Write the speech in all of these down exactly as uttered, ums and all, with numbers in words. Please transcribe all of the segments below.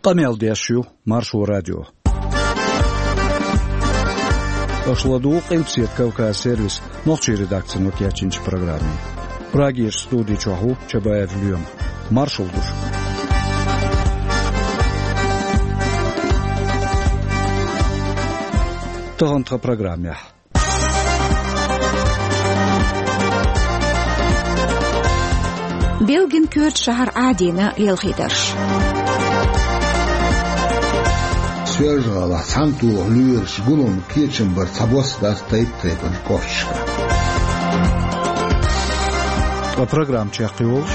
Къамел деш ю Маршо радио. Аша ладугӀу Къилбаседа Кавказ сервисан нохчийн редакцино кечйинчу программе. Прагерчу студи чохь ву Чабаев Лоьма. Маршалла ду шуьга. Тахана тхан программехь. Бельгин коьртачу шахьара Ӏадийна лелхийтарш. Соьлжа-ГӀалахь цхьана тоху лоьраш гулам, кечам бар цхьабосса дац тайп-тайпанчу кӀошташкахь. Ткъа программа чекхйолуш: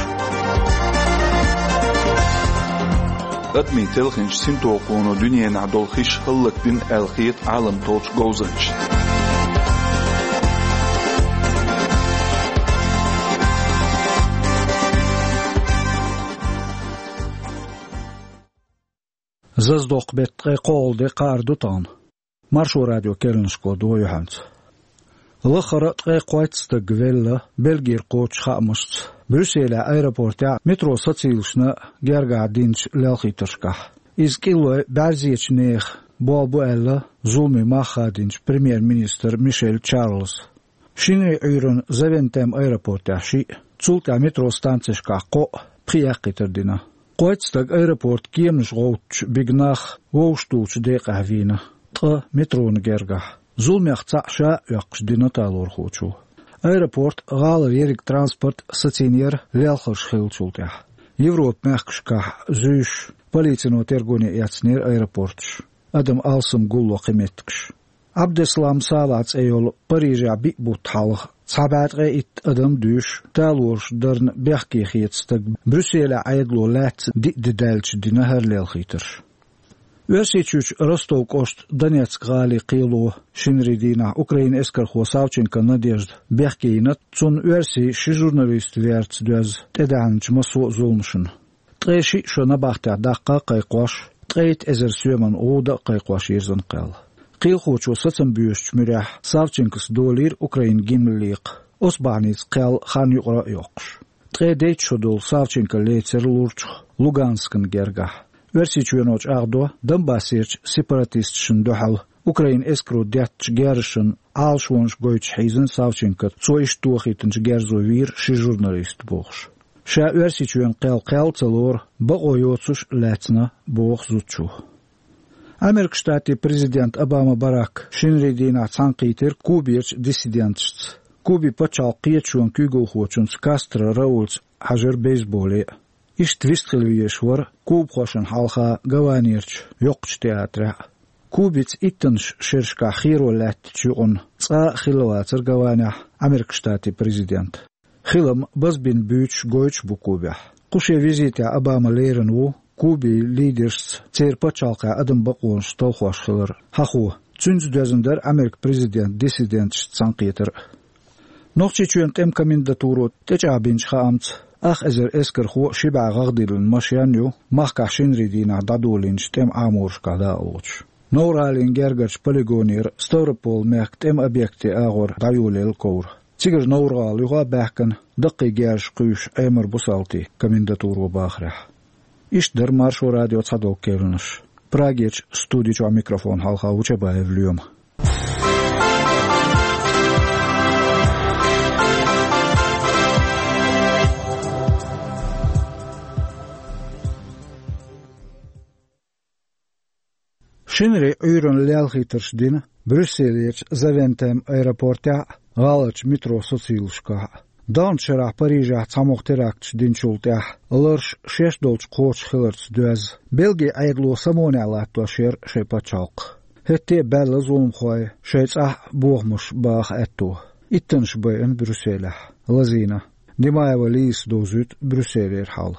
адамийн телхинчу синтохуно дуьненахь долу хиш хӀаллакдина аьлла хета Ӏаламан толлучу говзанчашна. Зазадоккху беттан ткъе кхоалгӀа де кхаьар ду тахана. Маршо радион керланашкахь ду вай юьхьанца. Лаххара а ткъе кхойтта стаг велла, Бельгера кхочучу хаамашца, Брюсселехь аэропортехь метро сацийламашна гергахь динчу лелхийтаршкахь. Иза кӀиллой бӀаьрзечу нехан болх бу аьлла, зуламийн мах хадийначу премьер-министра Мишель Чарльза. Шинарин Ӏуьйранна Завентем аэропортехь шиъ, цул тӀаьхьа метро станцешкахь кхоъ, пхи яьккхийтар дина. Кхойтта стаг аэропортан кеманаш гӀовттуш бигна нах вовшахтухучу декъехь вийна, ткъа метрона гергахь. Зуламех цхьаъ ша а оьккхуш дина талорхочо. Аэропорт гӀалара ерриг транспорт сацийна яра лелхарш хиллачул тӀаьхьа. Европан мехкашкахь зуьйш, полицино тергоне эцнера аэропорташ, адам алсам гулло кхин меттигаш. Ӏабдеслам Салахь цӀе йолу Парижехь биъ бутт хьалха цхьа бӀе ткъе итт адам дуьйш, талораш дарна бехке хета стаг Брюсселехь Ӏедало лаьцна диъ де даьлча дина хӀара лелхийтарш. Оьрсийчуьрчу Ростов кӀоштан Донецк гӀалин кхело шинарин дийнахь Украинан эскархо Савченко Надежда бехке йина, цунна оьрсийн ши журналист верца доьзна тӀедаьхьначу массо а зуламашна. Ткъе шиъ шо набахтехь даккха а кхайкхош, ткъе итт эзар соьман гӀуда а кхайкхош йирзина кхел. Кхелахочо сацам боьшучу муьрехь Савченкос долийра Украинан гимн лекха, оцу бахьаница кхел хан юкъара а йоккхуш. Ткъе дейтта шо долу Савченко лецира лурчух Луганскан гергахь. Оьрсийчоьно чӀагӀдо, Донбассерчу сепаратисташна дуьхьал Украинан эскаро деттачу герзашна Ӏалашонаш гойтуш хьийзина Савченко, цо иштта тохийтинчу герзо вийра ши журналист бохуш. Ша Оьрсийчоьнан кхел кхел а ца лору, бакъо йоцуш а лаьцна, боху зудчо. Американ Штатийн президент Обама Барак шинарин дийнахь цхьаьнакхийтира Куберчу диссиденташца. Кубин пачхьалкхан кхеташонан куьйгалхочуьнца Кастро Раульца хьажара бейсболе а. Иштта вистхила везаш вара кубахошна хьалха Гаванерчу йоккхачу театрехь а. Кубица иттаннаш шерашкахь херо лаьттачу юкъанна цкъа а хилла вацара Гаванехь Американ Штатийн президент. Хилам базбина буьйцуш гойтуш бу Кубехь. Кху шен визитехь Обама лерина ву Кубин лидершца церан пачхьалкхехь адаман бакъонаш талхош хилар хьахо. Цуьнца доьзна дара Американ президентан диссиденташца цхьаьнакхетар а. Нохчийчоьнан тӀеман комендатуро тӀечӀагӀбинчу хаамца, ах эзар эскархо а ши бӀе гӀагӀ диллина машен а ю махкахь шинарин дийнахь дӀадолийначу тӀеман Ӏаморашкахь дакъалоцуш. Новр-ГӀалин гергарчу полигонера Ставрополь-мехкан тӀеман объектийн агӀор дӀайолаелла ковра. Цигара Новр-ГӀала юха а баьхкина, даккхий герзаш кхуьйсуш Ӏемар бу салтий, комендатуро бахарехь. Иштта дара Маршо радион цхьадолу керланаш. Прагерчу студи чохь микрофон хьалха ву Чабаев Лоьма. Шинарин Ӏуьйранна лелхийтарш дина Брюсселерчу Завентем аэропортехь а, гӀаларчу метро сацийламашкахь а. Даханчу шарахь Парижехь цхьамогӀа теракташ динчул тӀаьхьа ларш шаьш долчу кхочуш хиларца доьзна, Бельгин Ӏедало самонехь латтош яра шайн пачхьалкх. ХӀетте а баьлла зуламхой шайн цӀахь а бохамаш баха аьтто. Иттаннаш байина Брюсселехь, лазийна. Димаева Лизас довзуьйту Брюсселера хьал.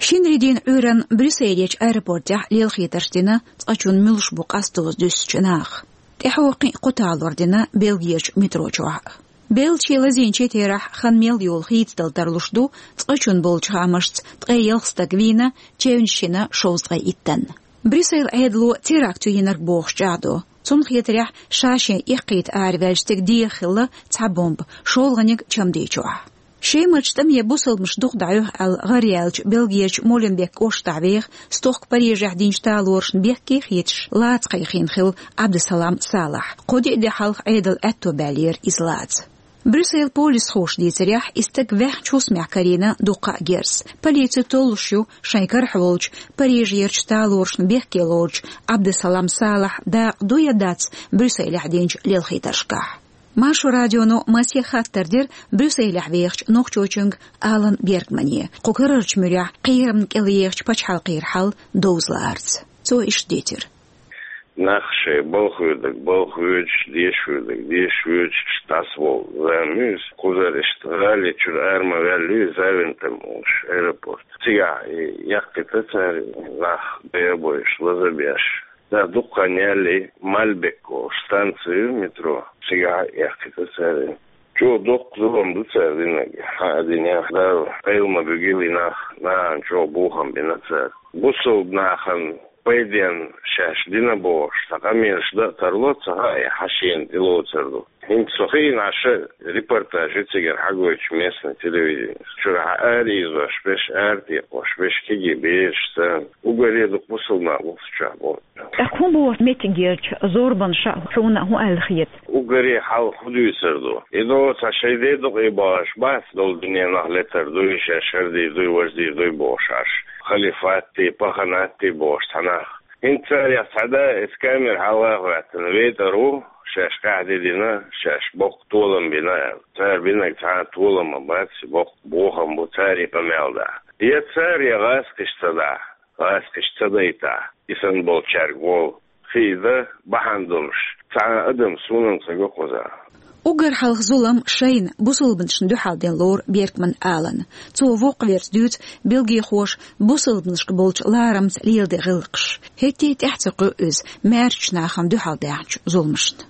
Шинарин дийнан Ӏуьйранна Брюсселерчу аэропортехь лелхийтарш дина цкъачунна муьлш бу къастоза дуьссучу наха. ТӀаьхьо кхин а кхо талор дина Бельгерчу метро чохь а. Беллачий, лазийначий терахь хан мел йолу хийцадала тарлуш ду, цкъачунна болчу хаамашца ткъе ялх стаг вийна, чевнаш йина шовзткъе иттанна. Брюсселан Ӏедало теракт ю йинарг бохуш чӀагӀдо. Цунна хетарехь, ша-шен эккхийта араваьллачу стеган дегӀан хилла цхьа бомба, шолгӀаниг чамдийчохь. Шемачу тӀаме бусалбанаш дукха дӀахьоьху аьлла гӀараяьллачу Бельгерчу Моленбек кӀоштахь веха, стохка Парижехь динчу талорашна бехке хеташ, лаца кхайкхийна хилла Ӏабдусалам Салахь. Кхо-диъ де хьалха Ӏедал аьтто баьллера иза лаца. Брюссель полисхоша дийцарехь, и стаг ваьхначу хӀусамехь карийна дуккха а герз. Полици толлуш ю шайн карахь волчу, Парижерчу талорашна бехке лоручу Ӏабдусалам Салахьан дакъа ду я дац Брюсселехь динчу лелхийтаршкахь. Маршо радионо масех хаттар дира Брюсселехь вехачу нохчочуьнга Алан Бергмане, кху карарчу муьрехь кхерамна кӀел ехачу пачхьалкхера хьал довза лаарца. Цо иштта дийцира. Нах шайн балха хьоьдург балха хьоьдуш, деша хьоьдург деша хьоьдуш, дӀасавала зама ю иза. Кхузара иштта гӀали чуьра ара ма ваьлла ю иза, Завентем олуш аэропорт. Цигахь и яккхийта цара, нах бен а бойуш, лаза а беш. Да, дукха хан яьлла и Мальбек олуш станци ю метро. Цигахь а яккхийта цара. Чо доккха зулам ду цара динарг. Хьан а динехь, Дала къайла ма буьгийла и нах, нахана чӀогӀа бохам бина цара. Бусалба нахана пайденна шаьш дина бохуш, цхьа къамелаш дан а тарло, ца хаьа, и хьан шена тӀелоцур ду. ХӀинца со хиъна Ӏаш репортаж ю цигара хьагойтуш местный телевиденис. Чуьра хьан ара ийзош берш, ара тӀекхош берш, кегий бераш санна. Уггаре дукха бусалба нах бу цу чохь боху. ТӀаккха хӀун боху меттигерчу зорбанаш, хьуна хӀун аьлла хета? Уггаре хьалха хӀун дуьйцур ду? И до цхьа шайн де дукъе бахаш бац, долу дуьненах летар дуй, шаьш хӀара дийр дуй, важа дийр дуй бохуш Ӏаш. Халифат дий, паханат дий бохуш цхьа нах. ХӀинца царех цхьа да, иза камера хьалха а хӀоьттина, вейтӀар ву, шаьш къаьхьа де дина, шаьш боккха толам бина аьлла. Цара бинарг цхьа а толам а бац, боккха бохам бу, цара и къамел дахь. Я цара, я гӀазкхаша ца дахь. ГӀазкхаша ца дайтахь, и санна болчаьрга волу. Хи дан бахьана долуш, цхьа а адам суна-м ца го кхузахь. Уггар хьалха зулам шайна, бусалбанашна дуьхьал дина лору Бергман Алана. Цо воккхаверца дуьйцу бельгийхоша бусалбанашка болчу ларамца леладен гӀиллакхаш. ХӀетте а тӀаьхьа ца кхуьу иза маьршачу нахана дуьхьал даьхначу зуламашна.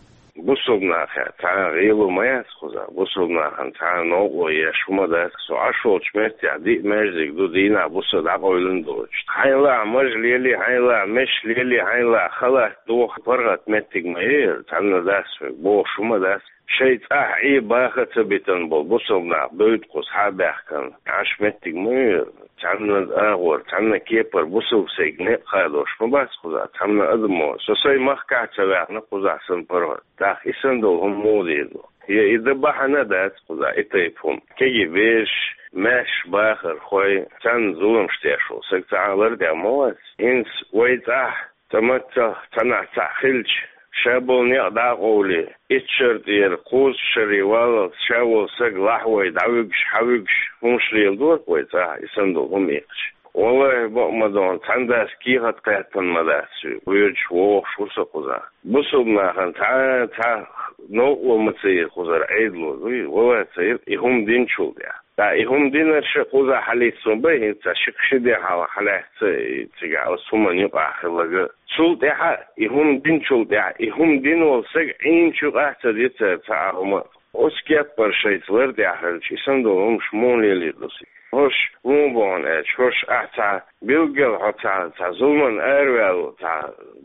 Бусалба нахехь цхьа а гӀело ма яц кхузахь, бусалба нахана цхьа а новкъарло еш хӀума дац. Со Ӏаш волчу меттехь диъ маьждиг ду, дийнахь буса дӀакъовлина доцуш. Хьайн лахь маж лели, хьайн лахь меш лели, хьайн лахь халат доху, паргӀат меттиг ма яра, цхьанна дац вай, бохуш хӀума дац. Шайн цӀахь Ӏе баха а ца битина болу бусалба нах дойту кхуза схьа а баьхкина. Ӏаш меттиг ма яра, цхьанна агӀор, цхьанна кепара бусалба сайга некъ хадош ма бац кхузахь, цхьанна адамо. Со сайн махкахь а ца ваьхна кхузахь санна паргӀат. ТӀаккха и санна долу хӀума муха дийр ду? Я и дан бахьана а дац кхузахь и тайпа хӀума. Кегий бераш, маьрша бахархой, царна зуламаш деш волу саг цхьа а лар тӀехь ма вац. ХӀинца вай цӀахь, цхьа маттах, цхьанхьа цхьаъ хилча, ша болу некъ дӀа а къовлий, итт шара тӀера кхузткъа шаре валлалц ша волу саг лахьавой, дӀавуьгуш, хьавуьгуш, хӀумаш леладора вай цӀахь, и санна долу хӀума иккхича. Валлахи, бакъ ма дона, цхьана дас кехат кхеттана ма дац, воьдуш, вогӀуш ву со кхузахь. Бусалба нахана цхьа, цхьа новкъарло ма ца йира кхузара, Ӏедало дуй, валлахи, ца йира, и хӀума динчул тӀехь. ТӀаккха и хӀума динарш а кхузахь хьалийца ма бай, хӀинца ши-кхо ши де хьалха хьалаьцна и цигахь оцу хӀуманна юкъахь хилларг. Цул тӀаьхьа, и хӀума динчул тӀаьхьа, и хӀума дина волу саг Ӏийначу юкъахь ца дира цара цхьа а хӀума. Оцу кеппара шайца лар тӀехь хилча, и санна долу хӀумаш муха лелийр ду цига? ХӀорш муха боху аьлча, хӀорш ахь цхьа билггал хьо цхьа, цхьа зуламан араваьлла, цхьа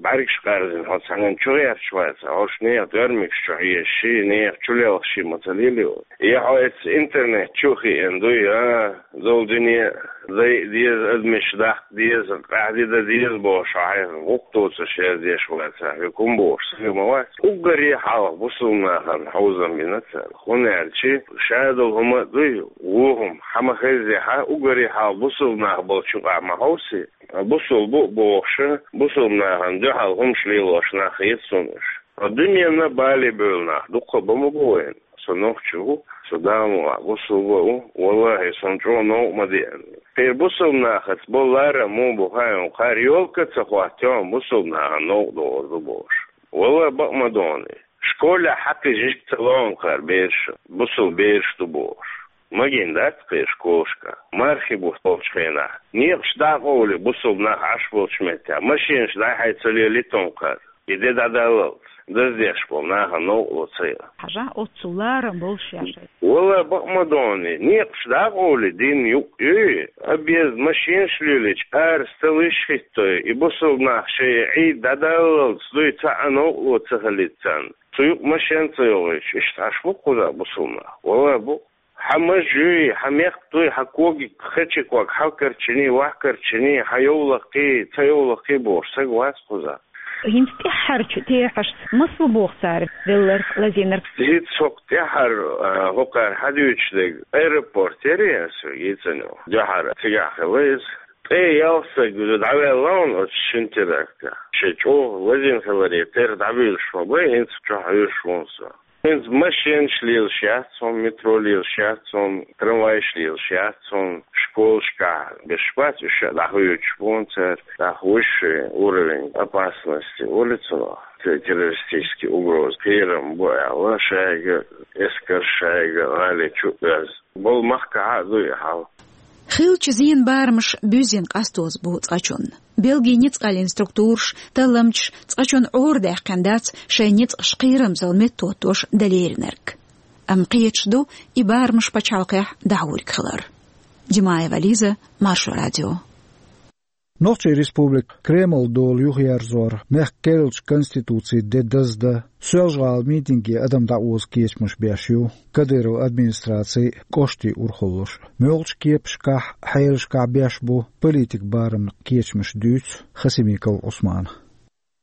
бӀаьргаш къаьрзина хьо цхьанна чу гӀерташ вац, хьорш нехан доьрмигаш чу хьежаш, нехан чу лелхаш ма ца лелийр ву. Я хьо эцу интернет чу а хиъна дуй, а, долу дуьне дайа деза, адамаш даккха деза, къаьхьа де дан деза бохуш, хьайх гӀуллакх доцуш яздеш вац, хьоьга хӀума бохуш сага ма вац. Уггаре хьалха бусалба нахана хьовзам бина цара. ХӀунда аьлча ша долу хӀума а дуй, вон хӀума, хьан ма хеззехьа, уггаре хьалха бусалба нах болчу юкъахь ма хьовсий. Бусалба бу а бохуш, бусалба нахана дуьхьал хӀумаш лелош нах хета суна уьш. Ткъа дуьненна бале бевлла нах дуккха а бан ма бу вайна. Со нохчи ву, со Дала мукъ лахь бусалба а ву, валлахи, сан чӀогӀа новкъа ма деана. Кхеран бусалба нахаца болу ларам муха бу хаьий, кхара ёлка а ца хӀоттайо, бусалба нахана новкъа догӀур ду бохуш. Валлахи, бакъ ма дона. Школехь хьакхийжийша ца ло кхара бераш, бусалба бераш ду бохуш. Магийна дац кхеран школашкахь, мархи бутт болчу хенахь. Некъаш дӀа а къовлий, бусалба нах Ӏаш болчу меттехь, машенаш дӀай-хьай ца лелийта кхара. И де дӀадаллалц, даздеш болу нахана новкъарло ца йо. Хьажахь, оццул ларам болуш яшай. Валла, бакъ ма доний, некъаш дӀа а къовлий, дин юкъ ю, объезд машенаш лелийча, ара столаш хӀиттадой, и бусалба нах шайн Ӏийда дӀадаллалц дуй, цхьа а новкъарло ца хилийта царна. Цу юкъа машен ца йогӀуьйтуш, иштта Ӏаш бу кхузахь бусалба нах? Валла, бу. Хьа маж юй, хьа мехк дуй, хьа когиг, хачи ког, хьалкарчини, вахкарчини, хьа йовлакхи, ца йовлакхи бохуш, саг вац кхуза. ХӀинца тӀаьххьарчу тӀехьашца масал боху цара велларх, лазийнарх? Иза цхьа тӀаьххьара, а, хӀокхара хьадуьйцуш дерг аэропорт яра аса йийцина. Дуьххьара цигахь хилла иза. Ткъе ялх саг дӀаваьлла ван оцу шина терактах. Шен чӀогӀа лазийна хиларе терах дӀабуьйлуш ма бай, хӀинца чохь хьуьйсуш ву со. ХӀинца машенаш лелаш яц хьуна, метро лелаш яц хьуна, трамвайш лелаш яц хьуна, школашкахь беш бац, уьш а дӀахоьцуш бу хьуна цара, дӀахоьцуш шайн уровень опасности улицанах, те-, террористический угроза, кхерам бу аьлла, шайга эскар, шайга гӀали чу а оьзна. Болу махкахь а ду и хьал. Хиллачу зенан барамаш буьззина къастоза бу цкъачунна. Белгин ницкъаллин структураш, талламчаш цкъачунна Ӏора даьккхина дац шайн ницкъаш кхерамзалла меттахӀоттош дан леринарг. Амма кхеташ ду и барамаш пачхьалкхехь дӀахьург хилар. Димаева Лиза, Маршо радио. Нохчийн Республика Кремлан дола юхаерзор, мехкан керлачу Конституцин де даздан, Соьлжа-ГӀалин митинге адам дӀаоза кечамаш беш ю Кадыровн администраци а, кӀоштийн урхаллаш а. Муьлхачу кепашкахь, хьелашкахь беш бу политикан барамна кечамаш, дуьйцу Хасимиков Ӏусмана.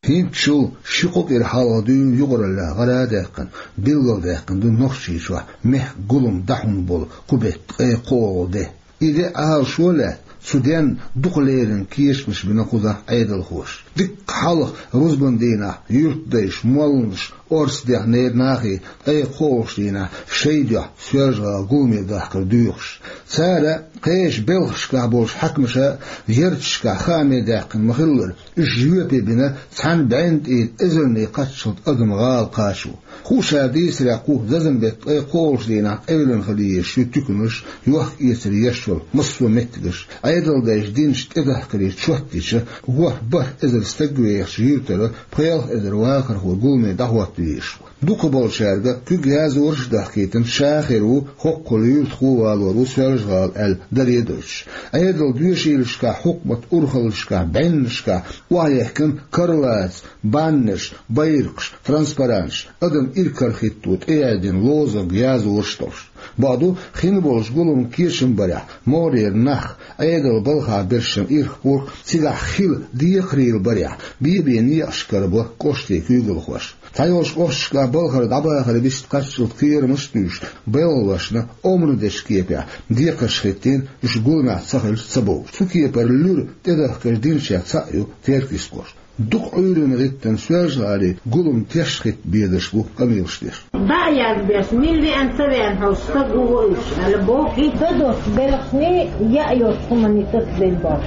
ХӀинцачул ши-кхо кӀира хьалха дуьйна юкъараллехь гӀара а даьккхина, билгалдаьккхина ду Нохчийчохь мехкан гулам дӀахьун болу кху беттан ткъе кхоалгӀа де. И де Ӏалашо а лаьцна, цу денна дукха леррина кечамаш бина кхузахь Ӏедалхоша. Дикка хьалха рузбан дийнахь юьртдайша, молланаша орца дехнера нахе ткъе кхоалгӀачу дийнахь шайн дуьхьа Соьлжа-ГӀала гуламе дахкар доьхуш. Цара кхечу белхашкахь болчу хьаькамаша ярташкахь хааме даьккхина ма-хиллара, уьш жоьпе бина цхьана бӀенна тӀера эзарнийн кхаччалц адам гӀала кхачо. Хууш а дийцарехь, кху зазамбеттан ткъе кхоалгӀачу дийнахь къевлина хила езаш ю туьканаш, йохк-эцар еш йолу массо а меттигаш. Ӏедалдайша динчу тӀедахкарийн чот йича, ворхӀ-бархӀ эзар стаг вехачу юьртара пхи-ялх эзар вахархо гуламе дӀахӀотта везаш ву. Дукхахболчаьрга куьг яздарш а дахкийтина, ша хир ву, хӀоккхул юьртахо а валор ву Соьлжа-ГӀала аьлла даре а дойтуш. Ӏедалан доьшийлашкахь, хьукматан урхаллашкахь, бӀеннашкахь охьаехкина карлаца баннерш, байракхаш, транспаранташ, адам иракарахӀитто тӀеяздина лозунг, яздарш а долуш. Бакъду, хин болчу гуламан кечам барехь, могӀарера нах, Ӏедалан балхахь берш ирх-пурх, цигахь хила декхарийларх барехь, бен-бен некъаш карабо кӀоштийн куьйгалхоша. Цхьайолчу кӀошташкахь балхара дӀабахар вист кхаччалц кхерамаш а туьйсуш, белхалошна омра дечу кепехь декхарш хӀиттийна, уьш гуламехь ца хилча ца бовлуш. Цу кепара луьра тӀедахкар динчех цхьаъ ю Теркйист кӀошт. Дукха Ӏуьйранна гӀиттина Соьлжа-ГӀалин гулам теш хӀитта бедарш бу къамелаш деш. ДӀа а язбеш, мила веана ца веана хьовсуш стаг ву вуьш аьлла боху и. Ца доцу белхашний, яа йоцу хӀуманний тасабелла боху.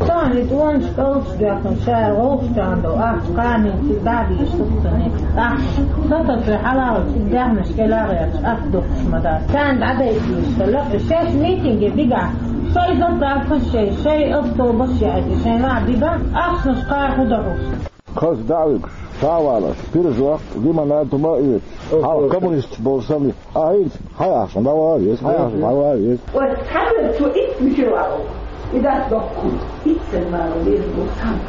Цхьана и тӀонаш кӀалдаш доьхна, ша гӀовгӀа чӀагӀдо, ахча кханийна цига дӀа а дийша саццане. ТӀаккха сатоцуьйтуш хьалхалчу даьхнаш кӀела а гӀерташ, ас дукхуш ма дац. Царна дӀадайта дезаш хилла, шаьш митинге бигахь, шайн заправкаш а, шайн автобусаш а яьхьийтина, шайн лаьа бигахь, ахчанаш кхара хӀун до хьуна? Кхаза дӀа а вуьгуш, схьа а валош, пирожок, лимонад хӀума а оьцуш, хьалха коммунисташ болу санна, ахь хӀинца хьайн ахчанах дӀавала веза, хьайн ахчанах дӀавала веза. Оцу цхьаьна цо итт мичара валу, и дац доккхун, итт санна вала веза боху цхьамма.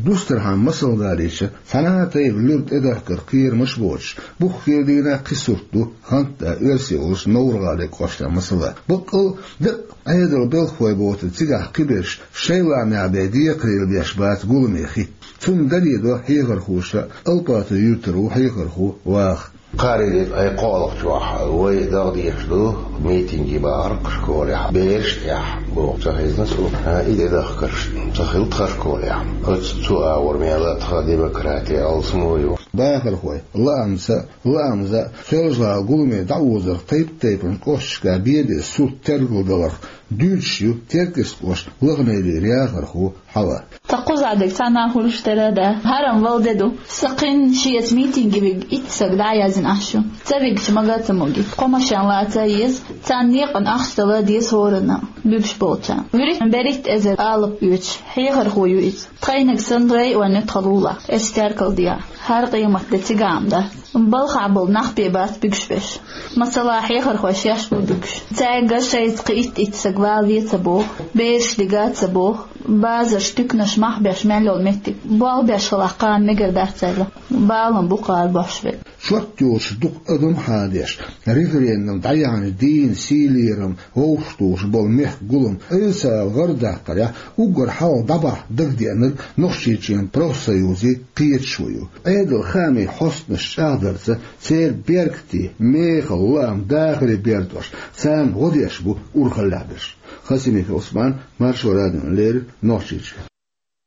Дустархьама масал далийча, цхьана а тайпа луьра тӀедахкар кхерамаш а боцуш, буххера дийнахь кхин сурт ду, хӀанз а Оьрсийчохь Новр-ГӀалин кӀоштан масала. Баккъал а дакъа Ӏедалан белхахой боцург цигахь кхиберш шайн лаамехь бен декхарийларш беш бац гуламе хӀитта. Цунна даре до хьехархоша, Алпатан юьртара ву хьехархо ваха. Кхаарин де ткъе кхоалгӀачохь вай дагадехаш ду митинге бахархой школехь, бераш а тӀехь боху ца хезна суна, и тӀедахкарш ца хилла тхан школехь. Оцу цу агӀор мел а тхан демократи алсамо ю. Бахархой лаамца, лаамза Соьлжа-ГӀала гуламе дӀаозарх тайп-тайпана кӀошташкахь бен-бен сурт тергалдаларх дуьйцуш ю Теркйист кӀоштан Лаханайрин яхархо Хьава. Ткъа кхузахь дерг цхьанна а хуьлуш тера а дац. ХӀара-м вала де ду. Сан кхин шеца митинге вига итт саг дӀа а яздина ахча ю. Ца вигча мага а ца могий. Кхо машен лаца а еза. Царна некъан ахча дала а деза хӀоранна, буьгуш болчарна. ВуьрхӀитта берхӀитта эзар алапа оьцуш хьехархо ю иза. Тхайниг санна районехь тхан лулахь, эс теркал дехьа. ХӀара къематде цигахь-м дац. Балхахь болу нах бен бац буьгуш беш. Масала, хьехархой шаьш бу буьгуш. Цаьрга шайца кхин итт-итт саг вала веза ца боху, бераш дига а ца боху, базарш, туьканаш мах беш мел йолу меттиг болх беш хилахь кхана мегар дац цаьрга. Бала-м бу кхара бохьуш верг. чот йоцуш дукха адам хьадеш, референдум дӀаяхьначу дийнан сийлерам вовшахтухуш болу мехкан гулам Ӏийса гӀардаккхарехь, уггар хьалха дӀабахьа дагадеанарг Нохчийчоьнан профсоюзийн кхеташо ю. Ӏедалан хаамийн хьостанаш чӀагӀдарца, церан беркате, мехала лаам дахаре бертош, царна гӀо деш бу урхаллехь берш. Хасимиков Ӏусман, Маршо радиона леррина, Нохчийчоь.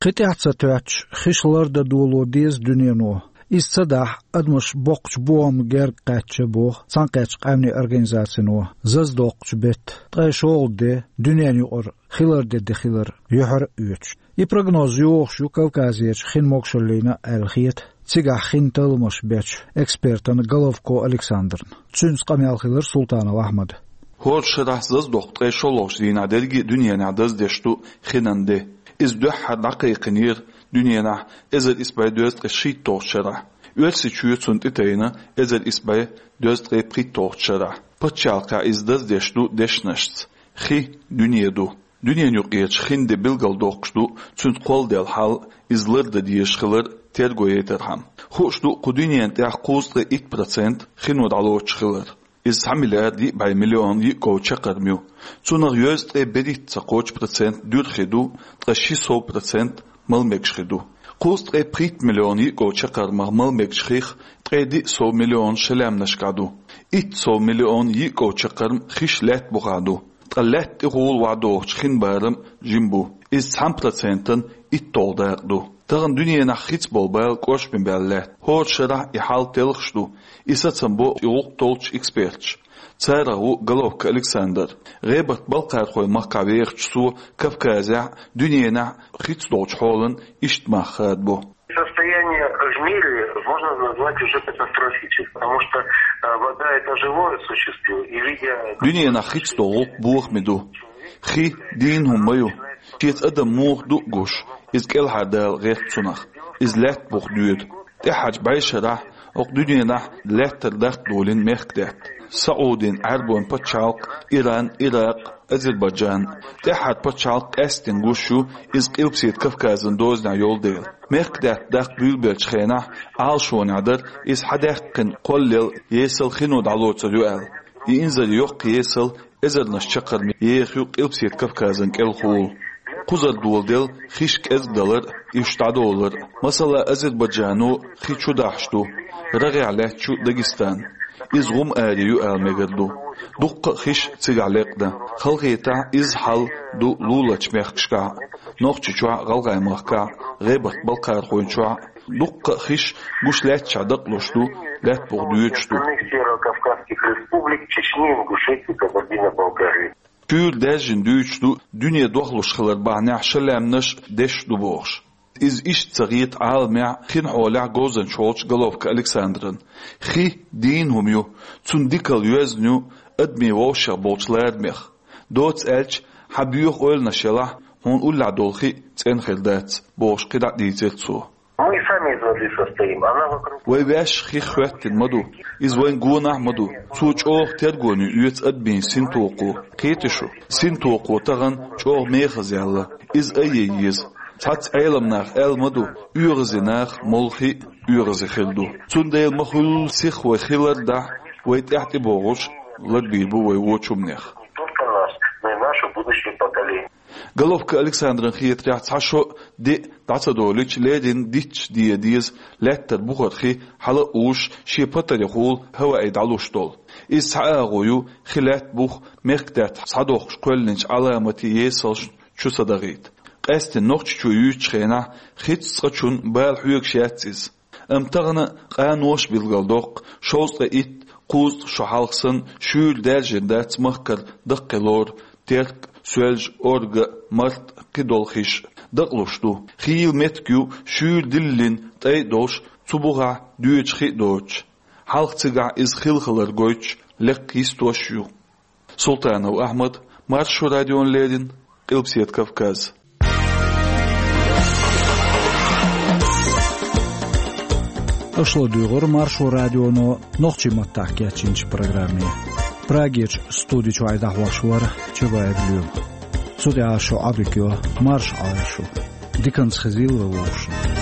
Кхин тӀаьхьа ца тоьттуш, хиш лардан доло деза дуьнено. Иза ца дахь, адамаш боккхачу бохаман герга кхаьчча, боху Цхьаьнакхеттачу Къаьмнийн Организацино, зазадоккхучу беттан ткъе шолгӀа де, дуьненан юкъара хи лардан де хилар юьхьара а оьцуш. И прогноз йохуш ю Кавказерчу хин могушаллина аьлла хета цигахь хин талламаш бечу экспертана Головко Александрна. Цуьнца къамел хилира Султанов Ахьмадан. ХӀора шарахь зазадоккху ткъе шолгӀачу дийнахь дерриге а дуьненахь даздеш ду хинан де. Иза дуьххьара дӀакхайкхинера дуьненахь эзар исс бӀе дезткъе шийтталгӀачу шарахь. Оьрсийчоь цунна тӀетайна эзар исс бӀе дезткъе пхийтталгӀачу шарахь. Пачхьалкхехь иза даздеш ду дешнашца: хи дуьне ду. Дуьненан юкъерчу хин де билгалдоккхуш ду цуьнца кхолладелла хьал, иза лардан дезаш хилар терго яйтархьама. Хууш ду кху дуьненан тӀехь кхузткъе итт процент хино дӀалоцуш хилар. Иза цхьа миллиард йиъ бӀе миллион йиъ ков чаккхарма ю. Цунах йоьзткъе берхӀитта ца кхочу процент дуьра хи ду, ткъа ши сов процент мала мегаш хи ду. Кхузткъе пхийтта миллион йиъ ков чаккхармах мала мегаш хих ткъе диъ сов миллион шалаьмнашкахь ду. Итт сов миллион йиъ ков чаккхарма хиш лаьтта бухахь ду. Ткъа лаьтта тӀехула вахьа дохучу хин барам жима бу. Иза цхьана процентан итталгӀа дакъа ду. Тахана дуьненахь хица болу бала кӀоршаме баьлла лаьтта. ХӀора шарахь и хьал телхаш ду, и сацам бо и гӀуллакх толлучу эксперташа. Царах ву Головко Александр. ГӀебарта-Балкхархойн махкахь вехачу цо Кавказехь, дуьненахь хица долчу хьолан иштта мах хадабо. Состояние в мире можно назвать уже катастрофическим, потому что, э, вода — это живое существо, и видя... Дуьненахь хица долу гӀуллакх бохаме ду. Хи дийна хӀума ма ю. Шеца адам муха ду а гуш, иза кӀелхьардала гӀерта цунах. Иза лаьтта буха доьду. ТӀаьххьарчу бӀешарахь окху дуьненахь лаьттара даккха долийна мехкадаьтта. СаӀудийн, Ӏаьрбойн пачхьалкх, Иран, Иракъ, Азербайджан. ТӀаьххьара пачхьалкх къаьсттина гуш ю, иза Къилбаседа Кавказан дозанехь йолу дела. Мехкадаьтта даккха буьйлабеллачу хенахь Ӏалашонехь дара иза хьадаьккхина кхоллел, есал хино дӀалоцур ю аьлла. И инзаре йоккха есал эзарнаш чаккхарма еха ю Къилбаседа Кавказан кӀелхула. Кхузара доладелла хиш кӀезгдалар а, уьш дӀадолар а. Масала, Азербайджано хи чу дахьаш ду, рагӀехь лаьтташ ю Дагестан. Иза гӀум аре ю ала мегар ду. Дуккха а хиш цигахь лекъна. Халахетахь изза хьал ду луларчу мехкашкахь а: Нохчийчохь а, ГӀалгӀайн махкахь а, ГӀебарта-Балкхархойн чохь а. Дуккха а хиш гуш лаьтташехь дакъалуш ду лаьтта буха доьдуш ду. Остальных северокавказских республик: Чечни, Ингушетии, Кабардино-Балкарии. Шуьйра даьржина дуьйцуш ду, дуьне дохлуш хилар бахьанехь шалаьмнаш деш ду бохуш. Иза иштта ца хета Ӏаламехь хин хьолехь говзанча волчу Головко Александран. Хи дийна хӀума ю, цунна дикалла йоьзна ю адамийн вовшех болчу ларамех. Доцца аьлча, хьан боьха ойланаш елахь, хьуна уллехь долу хи цӀена хир дац, бохуш кхидӀа а дийцира цо. Мы сами из воды состоим, она вокруг... Вай ваьш хих хӀоьттина ма ду, иза вайн гонахь а ма ду. Цо чӀогӀа тергоне оьцу адамийн синтокхо. Кхетий шу, синтокхо тахана чӀогӀа мехаза яьлла. Иза айъе еза. Цхьацца Ӏеламнаха аьлла ма ду, оьгӀазе нах молла хи а оьгӀазе хир ду. Цундела ма хуьллу сиха вай хи лардахь, вай тӀаьхьа тӀебогӀуш ларбийр бу вай вочу хӀуманех. Не только нас, но и наше будущее поколение. Головко Александран хетарехь, цхьа шо, диъ дӀа ца долуьйтуш, леррина дитташ де деза лаьттара бухара хи хьала а уьш, шен патарехула хӀаваъий дӀалуш долу. Иза цхьа агӀо ю хи лаьтта буха мехкадаьтта схьадоккхуш кхоьллинчу Ӏаламатийн есалшна чу ца дахийта. Къаьсттина Нохчийчоь юьйцучу хенахь хица цкъачунна бала хьоьгуш яц иза. Амма тахана къаноша билгалдоккху, шовзткъе итт, кхузткъа шо хьалха санна шуьйра даьржина дац махкара даккхий лор, Терк, Соьлжа, Орга, Март, кхидолу хиш дакъалуш ду. Хийла меттиг ю шуьйра диллина тӀай а долуш, цу бухахь доьдуш хи а доцуш. Хьалха цигахь иза хилхалар гойтуш, лекха йистош а ю. Султанов Ахьмад, Маршо радиона леррина, Къилбаседа Кавказ. Аша ладуьйгӀира Маршо радионо нохчийн маттахь кечйинчу программе. Прагерчу студи чуьра дӀахьош вара Чабаев Лоьма. Цу тӀехь шу Ӏадика йо, марша Ӏойла шу. Диканца хезийла вай вовшашна.